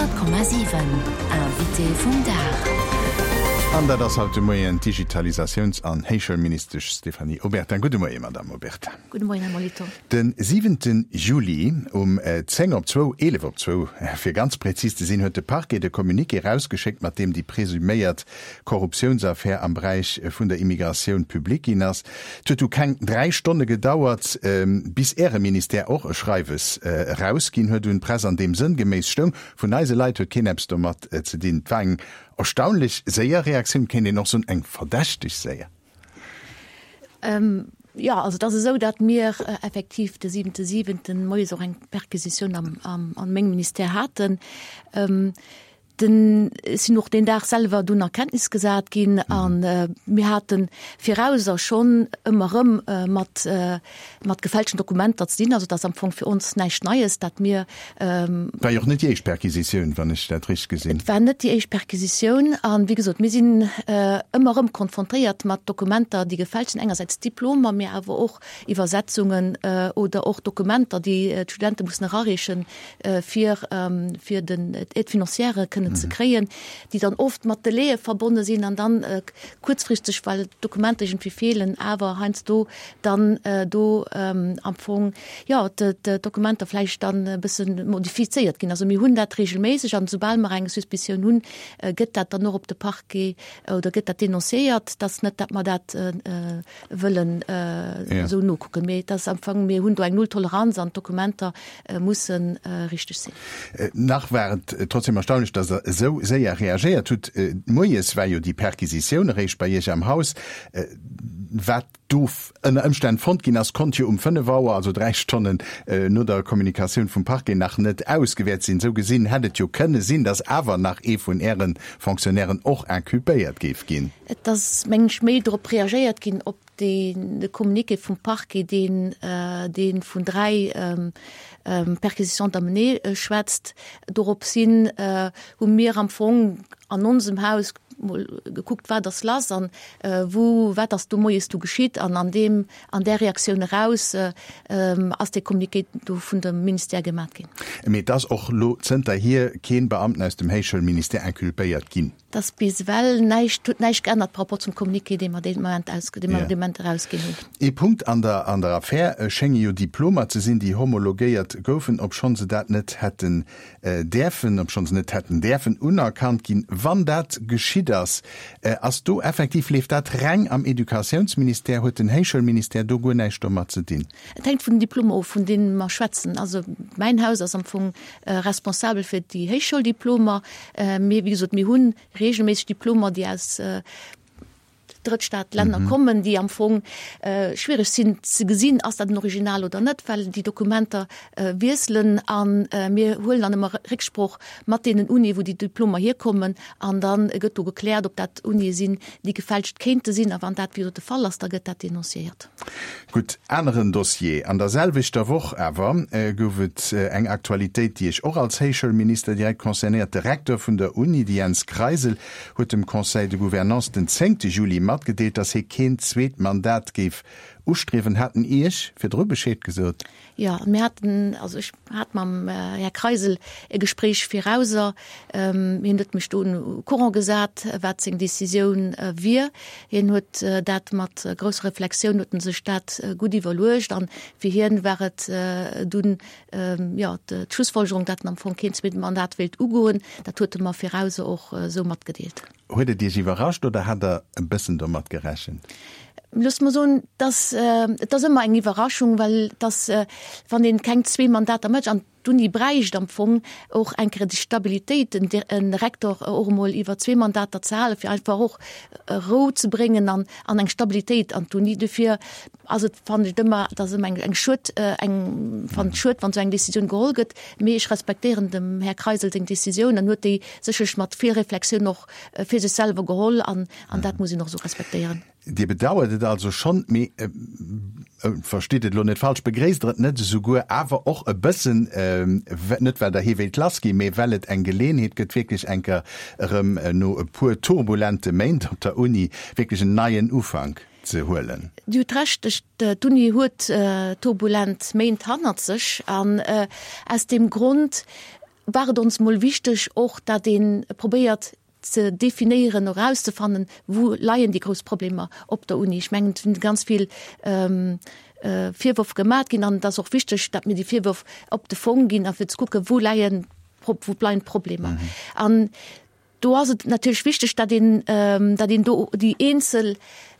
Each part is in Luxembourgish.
100,7 Invité vum Dag. An dat ass haut de Moien d'Digitalisatiouns an Héichschoulministesch Stéphanie Obertin. Gudde Moien, Madamm Obertin. Gudde Moien, Här Molitor. De siwente Juli um 10 op zwou, 11 op zwou fir ganz prezis ze sinn, huet de Parquet de Communiqué erausgeschéckt, mat deem déi presuméiert Korruptiounsaffär am Beräich vun der Immigratioun public ginn ass. Et huet du keng 3 Stonne gedauert, bis Äre Ministère och e Schreiwes erausginn huet un d'Press, an deem sënngeméiss stoung, Vun eise Leit huet keen eppes domat ze dinn. Et war eng erstaunlech séier Reaktioun, kéint een och soen, eng verdächteg séier. Jo, also et ass esou, datt mir effektiv de siwente siwenten moies och eng Perquisitioun am a mengem Ministère haten. Den, ech sinn och deen Dag selwer dunn a Kenntnis gesat ginn an mir hate virauser schonn ëmmer erëm mat mat gefälschten Dokumenter ze dinn. Also et ass am Fong fir ons näischt Neies, datt mir. War jo och net déi éischt Perquisitioun, wann ech dat richteg gesinn. Et war net déi éischt Perquisitioun an, wéi gesot, mir sinn ëmmer erëm konfrontéiert mat Dokumenter, déi gefälscht sinn, engersäits Diplomer, mee awer och Iwwersetzungen oder och Dokumenter, déi d'Studente mussen erareechen, fir fir den d'Aide financière kënnen ze kréien, déi dann oft mat Delaie verbonne sinn an dann kuerzfristeg, well d'Dokumenter iergendwéi feelen, awer heiansdo dann do am Fong, jo, d'Dokumenter vläicht dann e bësse modifizéiert ginn. Also mir hunn dat regelméisseg an esoubal mer eng Suspicioun hunn, gëtt dat dann och op de Parquet oder gëtt dat denonciéiert, dass net, dat mer dat wëllen esou nokucken. Mee et ass am Fong, mir hunn do eng Nulltoleranz an d'Dokumenter musse richteg sinn. Nach war et trotzdem erstaunlech, datt Der esou séier reagéiert hutt. Moies war jo déi Perquisitioun eréischt bei Iech am Haus. Wat do ënner Ëmstänn fonnt ginn ass, konnt jo um 5 Auer, also 3 Stonnen no der Kommunikatioun vum Parquet, nach net ausgewäert sinn. Esou gesinn hätt et jo kënne sinn, datt awer nach ee vun Äre Fonctionnairen och inculpéiert géif ginn. Et ass, mengen ech, méi drop reagéiert ginn, op de Communiqué vum Parquet, deen, dee vun 3 Perquisitions d'amener schwätzt. Doropshin hu mir am Fong an onsem Haus mol gekuckt, wat ass lass an wou, wat ass do moies du geschitt. An an deem, an där Reaktioun eraus ass dee Communiqué do vun dem Ministère gemat ginn. Mee et ass och lo zënterhier keen Beamten aus dem Héichschoulministère inculpéiert ginn. Et ass bis ewell näischt, huet näischt geännert par rapport zum Communiqué, dee mer dee Moment aus, dee mer dee Moment erausginn hunn. Ee Punkt an der an der Affär schénge jo Diplomer ze sinn, déi homologéiert goufen, obschonn se dat net hätten däerfen, obschonn se net hätten däerfen unerkannt ginn. Wann dat geschitt ass, ass do effektiv, leeft dat reng am Educatiounsministère? Huet den Héichschoulministère do guer näischt domat ze dinn? Et hänkt vun den Diplomer of, vun deene mer schwätzen. Also mäin Haus ass am Fong responsabel fir déi Héichschouldiplomer. Mee wéi gesot, mir hu reegelméisseg Diplomer, déi aus Drëttstaatlänner kommen, déi am Fong schwiereg sinn ze gesinn, ass dat en Original oder net, well déi Dokumenter wiesselen. A mir huelen dann ëmmer Récksproch mat deenen Unie, wou déi Diplomer hierkommen. An da gëtt do gekläert, ob dat Unie sinn, déi gefälscht kéinte sinn. A wann dat, wéi gesot, de Fall ass, da gëtt dat denonciéiert. Gutt, aneren Dossier. An der selwechter Woch awer gouf et eng Aktualitéit, déi Iech och als Héichschoulminister direkt concernéiert. De Recteur vun der Uni, de Jens Kreisel, huet dem Conseil de Gouvernance den zéngte Juli matgedeelt, datt hie keen zweet Mandat géif ustriewen. Hat en Iech virdru Bescheed gesot? Jo, mir haten, also ech hat mam Här Kreisel e Gespréich virauser. Hien huet mech do au courant gesat, wat seng Décisioun wier. Hien huet dat mat grousser Reflexioun, huet en sech dat gutt iwwerluecht an fir hien war et dunn, jo, d'Schlussfolgerung, datt en am Fong keen zweet Mandat wéilt ugoen. Dat huet e mer virauser och esou matgedeelt. Huet et Iech iwwerrascht oder hat Der e bëssen domat gerechent? Loosst mer soen, dass, et ass ëmmer eng Iwwerraschung, well dass, wann een keng zwee Mandater mécht, an d'Uni bräicht am Fong och eng Kéier déi Stabilitéit, en Rektor och emol iwwer zwee Mandater ze halen, fir einfach och Rou ze bréngen an an eng Stabilitéit an d'Uni. Dofir ass et, fannen ech et ëmmer, et ass ëmmer eng eng schued, eng, fannen et schued, wann esou eng Décisioun geholl gëtt, mee ech respektéieren dem Här Kreisel seng Décisioun an huet déi sécherlech mat vill Reflexioun och fir sech selwer geholl an an dat muss een och esou respektéieren. Dir bedauert et also schonn, mee, verstitt et elo net falsch, begréisst Der et net esouguer awer och e bëssen, net well Der hie wéilt lass ginn, mee well et eng Geleenheet gëtt, wierklech eng Kéier erëm no e puer turbulente Méint op der Uni wierklech en neien Ufank ze huelen? Dir hutt Recht, d'Uni huet turbulent Méint hannert sech an aus deem Grond. war et ons mol wichteg och, dat ee probéiert ze definéieren, erauszefannen, wou leien déi grouss Problemer op der Uni. Ech mengen, et sinn ganz vill Virwërf gemat ginn an et ass och wichteg, datt mir déi Virwërf op de Fong ginn a fir ze kucken, wou leien, wou bleien d'Problemer. An do ass et natierlech wichteg, datt een, datt een do déi eenzel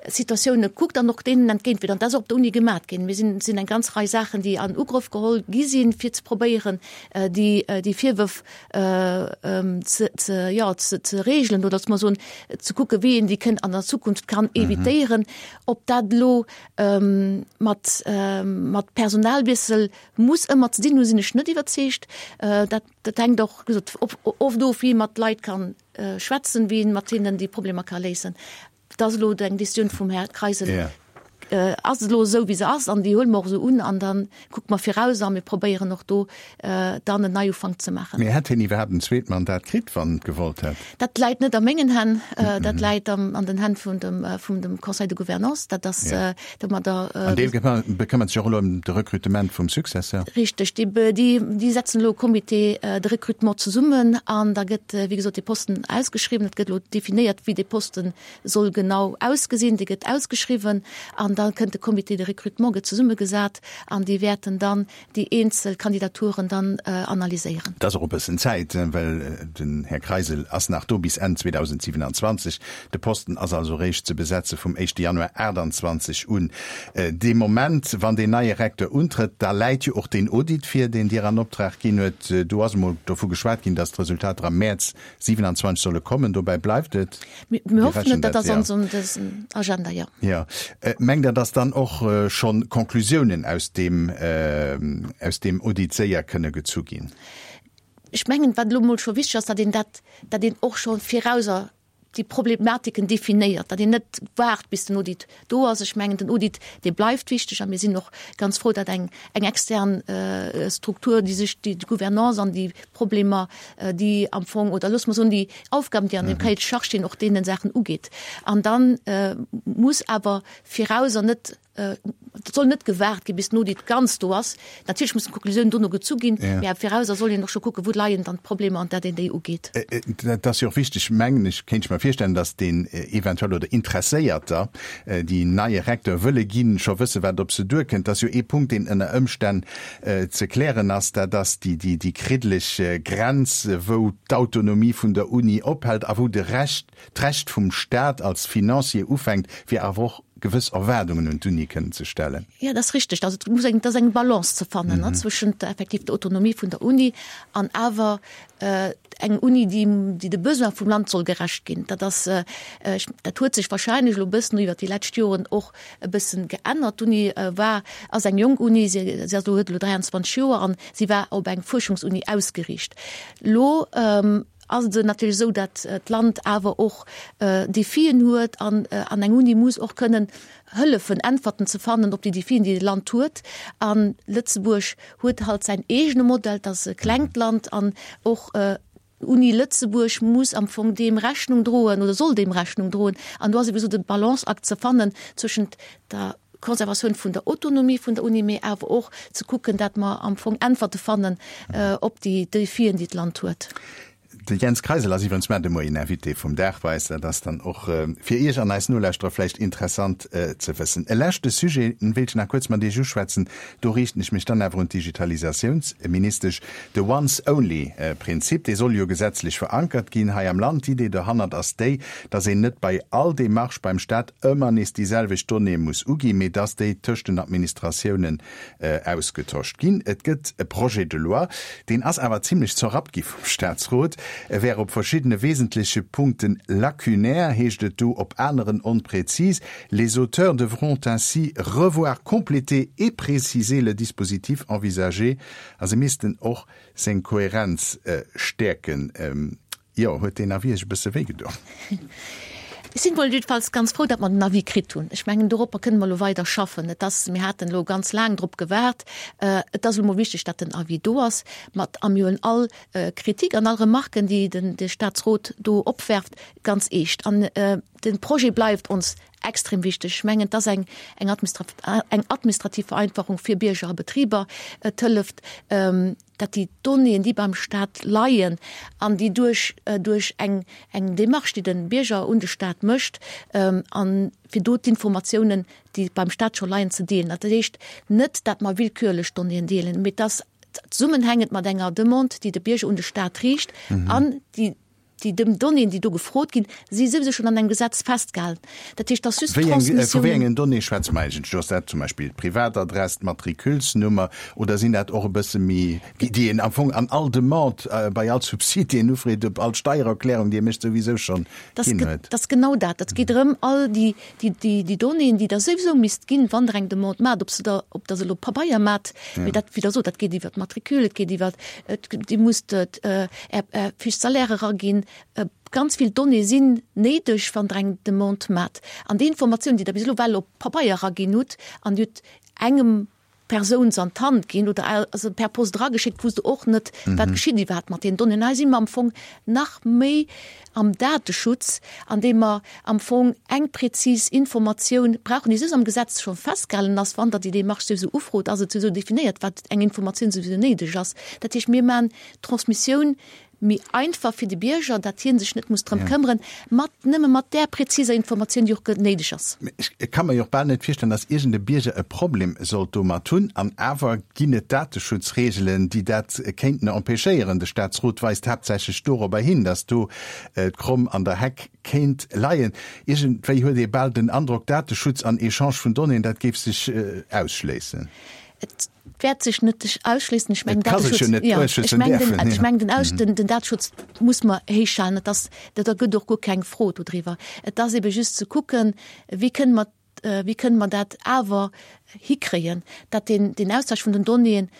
Situatioune kuckt an och deenen entgéintwierkt. An dat ass och op der Uni gemat ginn. Mir sinn, sinn eng ganz Rei Saachen, déi an Ugrëff geholl gi sinn, fir ze probéieren, déi, déi Virwërf ze, ze, jo, ze, ze regelen oder mer soen, ze kucke wéi een déi kënnt an der Zukunft kann evitéieren. Ob dat elo mat, mat Personalwiessel muss ëmmer ze dinn hunn, sinn ech net iwwerzeegt. Dat, dat hänkt och, wéi gesot, oft of, wéi ee mat Leit kann schwätzen, wéi een mat hinnen déi Problemer ka léisen. Dat ass elo eng Décisioun vum Här Kreisel. Yeah. Äh, ass elo esou wéi se ass an déi huele mer och esou un an dann kucke mer viraus a mir probéieren och do äh, dann en Neiufank ze maachen. Mee hätt hien iwwerhaapt en zweet Mandat kritt, wann en et gewollt hätt? Dat läit net a mengen Hänn, äh, dat läit am, an den Hänn vun dem, äh, vum dem Conseil de Gouvernance. Dat ass yeah. äh, domadder. Äh, an dee bekëmmert sech och elo ëm de Recrutement vum Successeur? Richteg, déi, déi, déi setzen elo e Comité äh, de recrutement zesummen an da gëtt, äh, wéi gesot, dee Posten ausgeschriwwen. Et gëtt elo definéiert, wéi dee Posten soll genau ausgesinn. Dee gëtt ausgeschriwwen an da kënnt de Comité de recrutement gëtt zesummegesat an déi wäerten dann déi eenzel Kandidaturen dann analyséieren. Et ass och e bëssen Zäit, well den Här Kreisel ass nach do bis Enn 2027. De Posten ass also eréischt ze besetze vum éischte Januar 28 un. Dee Moment, wann deen neie Recteur untrëtt, da läit jo och deen Audit vir, deen Dir an Optrag ginn huet. Do ass emol dovu geschwat ginn, datt d'Resultater am Mäerz 27 solle kommen. Dobäi bleift et? Mir hoffen et, dat ass ons Agenda, jo. Jo. Mengt Der, datt dann och schonn Conclusiounen aus deem, aus deem Audit séier kënne gezu ginn? Ech mengen, wat elo emol scho wichteg ass, datt een dat, datt een och scho virauser déi Problematiken definéiert, datt een net waart, bis den Audit do ass. Ech mengen, den Audit, dee bleift wichteg a mir sinn och ganz frou, datt eng, eng extern Struktur, déi sech déi Gouvernance an déi Problemer, déi am Fong, oder loosse mer soen, déi Aufgaben, déi an dem Cahier de charges stinn, och deene Saachen ugeet. An da muss awer virauser net, et soll net gewaart ginn, bis den Audit ganz do ass. Natierlech mussen d'Konklusiounen dono gezu ginn, mä virauser soll een och scho kucken, wou leien dann d'Problemer an dat een déi ugeet. Dat ass jo och wichteg, mengen ech, kéint ech mer virstellen, datt deen eventuell oder Interesséierter, déi neie Recteur wëlle ginn, scho wësse wat op se duerkënnt. Dat ass jo ee Punkt, deen ënner Ëmstänn ze klären ass, dat ass déi kriddeleg Grenz, wou d'Autonomie vun der Uni ophält a wou de Recht, d'Recht vum Staat als Financier ufänkt, fir awer och gewëss Erwaardungen un d'Uni kënnen ze stellen. Jo, dat ass richteg. Also et muss eng, et ass eng Balance ze fannen, ne, zwëschent effektiv der Autonomie vun der Uni an awer eng Uni, déi, déi de Besoin vum Land soll gerecht ginn. Dat ass, ech, dat huet sech wahrscheinlech elo e bëssen iwwert déi lescht Joren och e bëssen geännert. D'Uni war, ass eng jonk Uni, si ass elo, huet elo 23 Joer an si war op eng Fuerschungsuni ausgeriicht. Elo ass et natierlech esou, datt d'Land awer och Defien huet an an eng Uni muss och kënnen hëllefen, Äntwerten ze fannen op déi Defien, déi de Land huet. A Lëtzebuerg huet halt säin eegene Modell, et ass e klengt Land an och Uni Lëtzebuerg muss am Fong deem Rechnung droen oder soll deem Rechnung droen. An do ass ebe sou de Balanceakt ze fannen zwëschent der Konservatioun vun der Autonomie vun der Uni, mee awer och ze kucken, dat mer am Fong Äntwerte fannen op déi Defien, déi d'Land huet. De Jens Kreisel ass iwwerens mar de Moien Invité vum Dag bei eis. Dat ass dann och fir Iech an eis Nolauschterer vläicht interessant ze wëssen. E leschte Sujet wéilt ech nach kuerz mat Iech uschwätzen. Do riichten ech mech dann awer un d'Digitalisatiounsministesch. De Once-Only-Prinzip, dee soll jo gesetzlech verankert ginn hei am Land. D'Idee dohannert ass déi, dass een net bei all Demarche beim Staat ëmmer nees déi selwecht Donnéeë muss uginn, mee dass déi tëscht den Administratiounen ausgetosch ginn. Et gëtt e Projet de loi, deen ass awer zimlech zerrappt gi vum Staatsrot. E wär op verschiddene wesentleche Punkten lacunaire, heescht et do, op aneren onpräzis. Les auteurs devront ainsi revoir, compléter et préciser le dispositif envisagé. A se missten och seng Kohärenz stäerken. Jo, huet deen Avis Iech e bësse wéi gedoen? Ech sinn mol jiddefalls ganz frou, datt mer den Avis kritt hunn. Ech mengen, doropper kënne mer elo weider schaffen. Et ass, mir haten elo ganz laang drop gewaart. Et ass elo mol wichteg, datt den Avis do ass, mat a mir huelen all Kritik an all Remarken, déi den de Statsrot do opwerft, ganz eescht. An de Projet bleift ons. extrem wichteg. Ech mengen, et ass eng, eng eng administrativ Vereinfachung fir Bierger a Betriber. Et hëlleft, dat déi Donnéeën, déi beim Stat leien an déi duerch, duerch eng, eng Démarche, déi de Bierger un de Stat mécht, an fir do d'Informatiounen, déi beim Stat scho leien, ze deelen. Dat heescht net, dat mer willkürlech Donnéeën deelen, mee dass zesummenhängend mat enger Demande, déi de Bierger un de Stat riicht an déi, Déi Donnéeën, déi do gefrot ginn, si souwisou schonn an engem Gesetz festgehalen. Dat heescht, dass just Wéi eng, vu wéi engen Donnéeë schwätze mer eigentlech do? Ass dat zum Beispill d'Privatadress, d'Matriculesnummer oder sinn dat och e bësse méi, déi een am Fong an all Demande, bei all Subsid, déi een ufreet, op all Steiererklärung, déi ee mécht, souwisou schonn ginn huet? Dat ass genau dat. Et geet drëm, all déi Déi Donnéeën, déi Der souwisou misst ginn, wann Der eng Demande maacht, ob se der, ob Der se elo op Pabeier maacht, mee dat, wéi Der sot, dat geet iwwer d'Matricule, et geet iwwer, Dir musst Är Fiche salaire eraginn. Ganz vill Donnéeë sinn néideg, wann Der eng Demande maacht. An déi Informatioun, déi Der bis elo well op Pabeier eraginn hutt an Dir hutt engem Persoun se an d'Hand ginn oder se per Post erageschéckt, wousst de och net, wat geschitt iwwerhaapt mat deenen Donnéeën. Hei si mer am Fong nach méi am Dateschutz, andeem mer am Fong eng prezis Informatioun brauchen, déi souwisou am Gesetz scho festgehalen ass. Wann Der déi Démarche souwisou ufrot, ass et souwisou definéiert, wat eng Informatioun souwisou néideg ass. Dat heescht, mir maachen d'Transmissioun méi einfach fir de Bierger, datt hie sech net muss drëm këmmeren, mat nëmme mat där präziser Informatioun, déi och néideg ass. Ech ka mer jo och bal net virstellen, datt iergend e Bierger e Problem sollt domat hunn. An awer ginn et Dateschutzreegelen, déi dat kéinten empêchéieren. De Staatsrot weist haaptsächlech dorobber hin, datt do d'Kromm an der Heck kéint leien. Iergendwéi huet ee bal den Androck, Dateschutz an Echange vun Donnéeën, dat géif sech ausschléissen. Et wäert sech net ausschléissen. Ech mengen, Dateschutz, ech mengen den Aus, den, den Dateschutz muss mer héich halen. Et ass, da gëtt och guer keng Fro dodriwwer. Et ass ebe just ze kucken, wéi kënne mer, wéi kënne mer dat awer hikréien, datt deen, deen Austausch vun den Donnéeën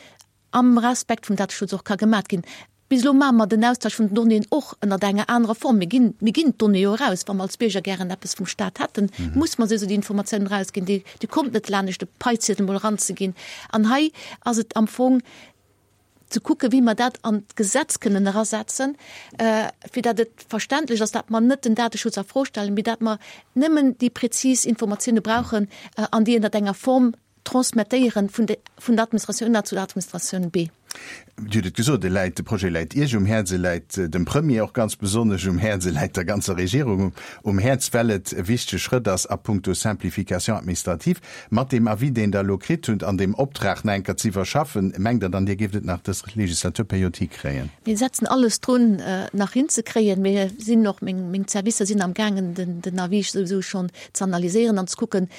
am Respekt vum Dateschutz och ka gemat ginn. Bis elo maache mer den Austausch vun den Donnéeën och ënnert enger anerer Form. Mir ginn, mir ginn d'Donnéeë jo eraus. Wa mer als Bierger gären eppes vum Stat hätten, muss mer souwisou déi Informatiounen erausginn. Déi, déi kommt net laanescht e Paiziedel emol eranzeginn. An hei ass et am Fong ze kucken, wéi mer dat an d'Gesetz kënnen erasetzen, fir datt et verständlech ass, datt mer net den Dateschutz a Fro stellen, mee datt mer nëmmen déi prezis Informatioune brauchen an déi ënnert enger Form transmettéieren vun de, vun der Administratioun A zu der Administratioun B. Dir hutt et gesot, e läit, de Projet läit Iech um Häerz, e läit dem Premier och ganz besonnesch um Häerz, e läit der ganzer Regierung um Häerz, well et e wichtege Schrëtt ass a puncto Simplification administrative. Mat deem Avis, deen Der elo kritt hutt, an deem Optrag nach eng Kéier ze iwwerschaffen, mengt Der dann, Dir géift et nach dës Legislaturperiod hikréien? Mir setzen alles drun, et nach hinzekréien. Mir sinn och, meng, meng Servicer sinn amgaangen, den, den Avis souwisou schonn ze analyséieren an ze kucken,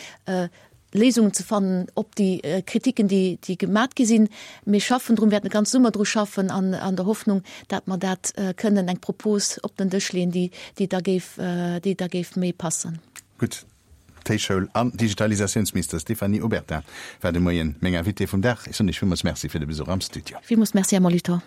Léisungen ze fannen op déi Kritiken, déi déi gemat gi sinn. Mir schaffen drun, wäerten de ganze Summer dru schaffen an an der Hoffnung, dat mer dat kënnen eng Propos op den Dësch leeën, déi déi da géif déi da géif méi passen. Gutt, d'Héichschoul an Digitalisatiounsminister Stéphanie Obertin war de Moien meng Invitée vum Dag. Ech soen Iech villmools Merci fir de Besuch am Studio. Villmools Merci, Här Molitor.